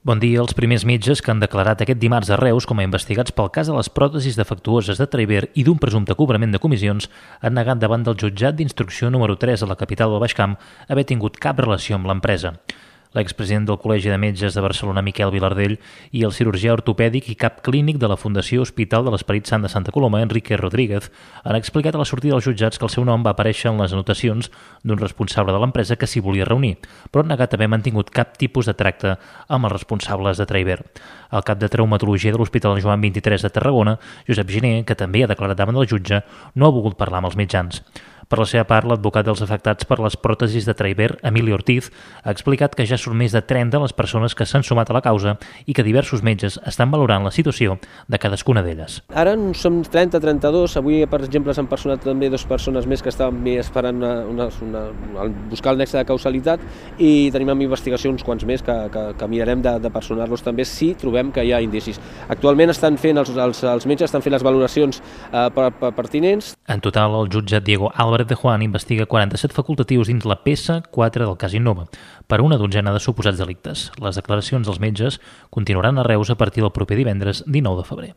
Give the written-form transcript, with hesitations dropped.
Bon dia. Els primers metges que han declarat aquest dimarts a Reus com a investigats pel cas de les pròtesis defectuoses de Traver i d'un presumpte cobrament de comissions han negat davant del jutjat d'instrucció número 3 a la capital del Baix Camp haver tingut cap relació amb l'empresa. L'expresident del Col·legi de Metges de Barcelona, Miquel Vilardell, i el cirurgià ortopèdic i cap clínic de la Fundació Hospital de l'Esperit Sant de Santa Coloma, Enrique Rodríguez, han explicat a la sortida dels jutjats que el seu nom va aparèixer en les anotacions d'un responsable de l'empresa que s'hi volia reunir, però han negat haver mantingut cap tipus de tracte amb els responsables de Traver. El cap de traumatologia de l'Hospital Joan 23 de Tarragona, Josep Giner, que també ha declarat davant del jutge, no ha volgut parlar amb els mitjans. Per la seva part, l'advocat dels afectats per les pròtesis de Traver, Emili Ortiz, ha explicat que ja són més de 30 les persones que s'han sumat a la causa i que diversos metges estan valorant la situació de cadascuna d'elles. Ara som 30-32, avui per exemple s'han personat també 2 persones més que estaven esperant buscar el nexe de causalitat i tenim en investigació uns quants més que mirarem de personar-los també si trobem que hi ha indicis. Actualment estan fent els metges estan fent les valoracions pertinents. En total, el jutge Diego Álvarez de Juan investiga 47 facultatius dins la peça 4 del cas Innova per una dotzena de suposats delictes. Les declaracions dels metges continuaran a Reus a partir del proper divendres 19 de febrer.